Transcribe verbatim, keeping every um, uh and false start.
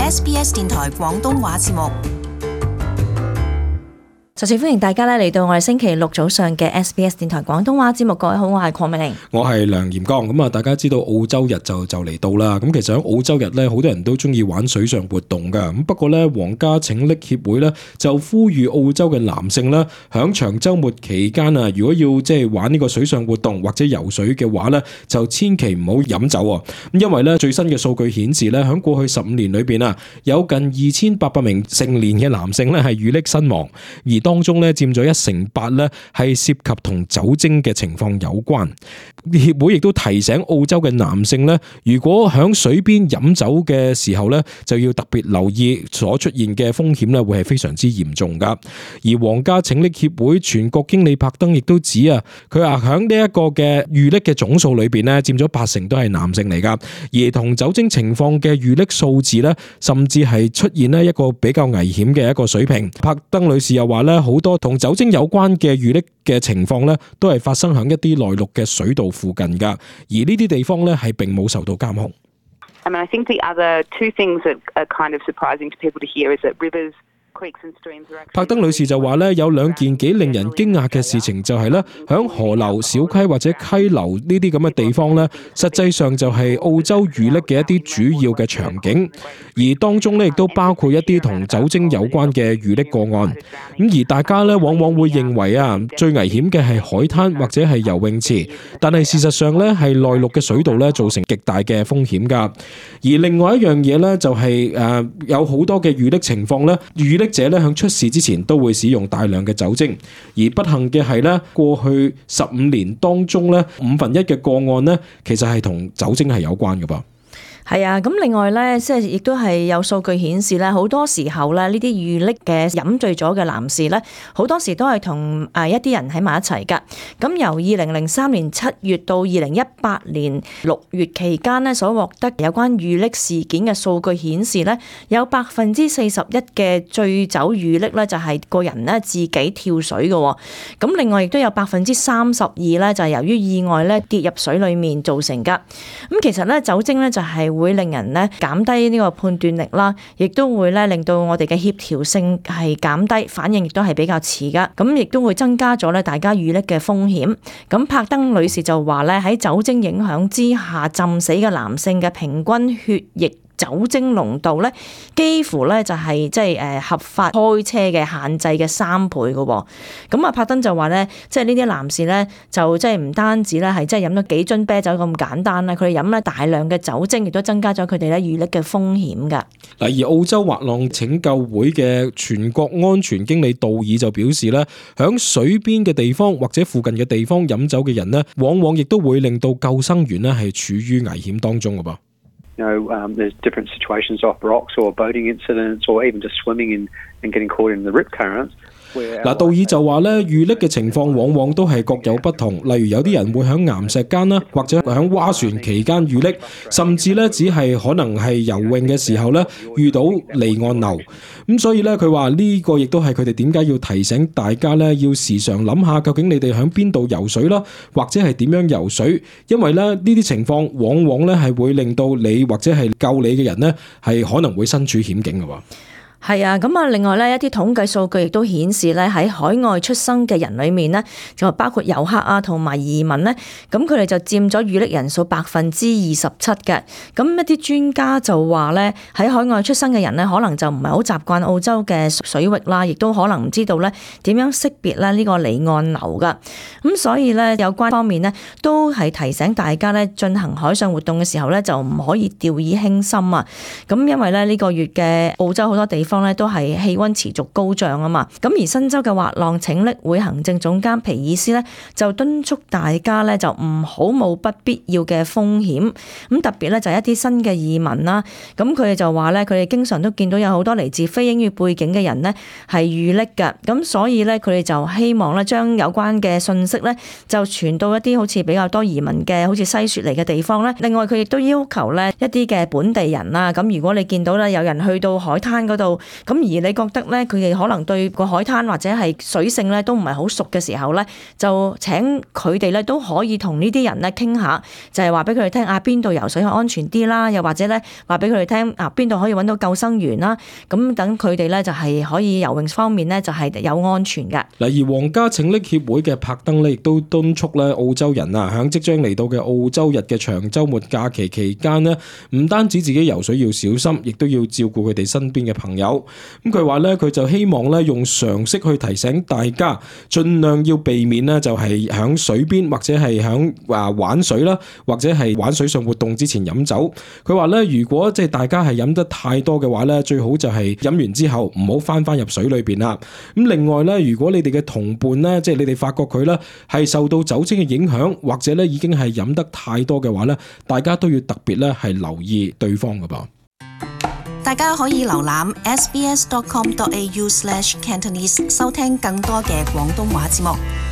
S B S 電台廣東話節目。首先歡迎大家咧嚟到我哋星期六早上嘅 S B S 電台廣東話節目。各位好，我係鄺美玲，我係梁炎剛。咁啊，大家知道澳洲日就就嚟到啦。咁其實喺澳洲日咧，好多人都中意玩水上活動噶。咁不過咧，皇家拯溺協會咧就呼籲澳洲嘅男性咧，響長週末期間啊，如果要即係玩呢個水上活動或者游水嘅話咧，就千祈唔好飲酒啊。咁因為咧最新嘅數據顯示咧，響過去十五年裏邊啊，有近二千八百名成年嘅男性咧係遇溺身亡，而當中咧佔咗一成八咧係涉及同酒精嘅情況有關。協會亦都提醒澳洲嘅男性咧，如果響水邊飲酒嘅時候咧，就要特別留意所出現嘅風險咧，會係非常之嚴重噶。而皇家拯溺協會全國經理柏登亦都指啊，佢話響呢一個嘅遇溺嘅總數裏邊咧，佔咗八成都係男性嚟噶，而同酒精情況嘅遇溺數字咧，甚至係出現咧一個比較危險嘅一個水平。柏登女士又話咧，好多同酒精有關嘅遇溺嘅情況咧，都係發生喺一啲內陸嘅水道附近噶，而呢啲地方咧係並冇受到監控。I mean, I think the other two things that are kind of surprising to people to hear is that rivers, creeks and streams are actually... 柏登女士就話咧，有兩件幾令人驚訝嘅事情，就係咧，響河流、小溪或者溪流呢啲咁嘅地方咧，實際上就係澳洲遇溺嘅一啲主要嘅場景，而當中咧亦都包括一啲同酒精有關嘅遇溺個案。咁而大家咧往往會認為啊，最危險嘅係海灘或者係游泳池，但係事實上咧係內陸嘅水道咧造成極大嘅風險㗎。而另外一樣嘢咧就係誒有好多嘅遇溺情況咧，遇溺者咧響出事之前都會使用大量嘅酒精，而不幸嘅係咧，過去十五年當中咧五分一嘅個案咧，其實係同酒精係有關嘅噃。係啊，咁另外咧，即係亦都係有數據顯示咧，好多時候咧，呢啲遇溺嘅飲醉咗嘅男士咧，好多時都係同誒一啲人喺埋一齊㗎。咁由二零零三年七月到二零一八年六月期間咧，所獲得有關遇溺事件嘅數據顯示咧，有百分之四十一嘅醉酒遇溺咧，就係個人咧自己跳水嘅。咁另外亦都有百分之三十二咧，就係由於意外咧跌入水裡面造成㗎。咁其實咧酒精咧就係會令人咧減低呢個判斷力啦，亦都會咧令到我哋嘅協調性係減低，反應亦都係比較遲噶，咁亦都會增加咗咧大家遇溺嘅風險。咁柏登女士就話咧，喺酒精影響之下浸死嘅男性嘅平均血液酒精濃度咧，幾乎咧就係即係誒合法開車嘅限制嘅三倍嘅喎。咁啊，柏登就話咧，即係呢啲男士咧，就即係唔單止咧係即係飲咗幾樽啤酒咁簡單啦，佢哋飲咧大量嘅酒精，亦都增加咗佢哋咧遇溺嘅風險㗎。嗱，而澳洲滑浪拯救會嘅全國安全經理道爾就表示咧，響水邊嘅地方或者附近嘅地方飲酒嘅人咧，往往亦都會令到救生員咧係處於危險當中嘅噃。You know, um, there's different situations off rocks or boating incidents or even just swimming in and getting caught in the rip currents. 嗱，道爾就話咧，遇溺嘅情況往往都係各有不同。例如有啲人會喺岩石間啦，或者喺划船期間遇溺，甚至咧只係可能係游泳嘅時候咧遇到離岸流。咁所以咧，佢話呢個亦都係佢哋點解要提醒大家咧，要時常諗下究竟你哋喺邊度游水啦，或者係點樣游水，因為咧呢啲情況往往咧係會令到你或者係救你嘅人咧係可能會身處險境嘅喎。係啊，咁啊，另外咧一啲統計數據亦都顯示咧，喺海外出生嘅人裏面呢，就包括遊客啊同埋移民呢，咁佢哋就佔咗遇溺人數百分之二十七嘅。咁一啲專家就話咧，喺海外出生嘅人呢，可能就唔係好習慣澳洲嘅水域啦，亦都可能唔知道咧點樣識別咧呢個離岸流噶。咁所以咧有關方面呢，都係提醒大家咧進行海上活動嘅時候咧，就唔可以掉以輕心啊。咁因為咧呢個月嘅澳洲好多地方方咧都係氣溫持續高漲啊嘛，咁而新州嘅滑浪拯溺會行政總監皮爾斯咧就敦促大家咧就唔好冒不必要嘅風險，咁特別咧就係一啲新嘅移民啦，咁佢哋就話咧佢哋經常都見到有好多嚟自非英語背景嘅人咧係遇溺㗎，咁所以咧佢哋就希望咧將有關嘅信息咧就傳到一啲好似比較多移民嘅好似西雪嚟嘅地方咧，另外佢亦都要求咧一啲嘅本地人啦，咁如果你見到咧有人去到海灘嗰度度。咁而你覺得咧，佢哋可能對個海灘或者係水性咧都唔係好熟嘅時候咧，就請佢哋咧都可以同呢啲人咧傾下，就係話俾佢哋聽啊，邊度游水係安全啲啦，又或者咧話俾佢哋聽啊，邊度可以揾到救生員啦。咁等佢哋咧就係可以游泳方面咧就係有安全嘅。嗱，而皇家拯溺協會嘅柏登咧亦都敦促咧澳洲人啊，響即將嚟到嘅澳洲日嘅長週末假期期間呢，唔單止自己游水要小心，亦都要照顧佢哋身邊嘅朋友。咁佢話咧，佢就希望咧用常識去提醒大家，盡量要避免呢就係響水邊或者係響啊玩水啦，或者係玩水上活動之前飲酒。佢話咧，如果即係大家係飲得太多嘅話咧，最好就係飲完之後唔好翻翻入水裏邊啦。咁另外咧，如果你哋嘅同伴咧，即係你哋發覺佢咧係受到酒精嘅影響，或者咧已經係飲得太多嘅話咧，大家都要特別咧係留意對方㗎噃。大家可以瀏覽 s b s dot com dot a u slash cantonese 收聽更多嘅廣東話節目。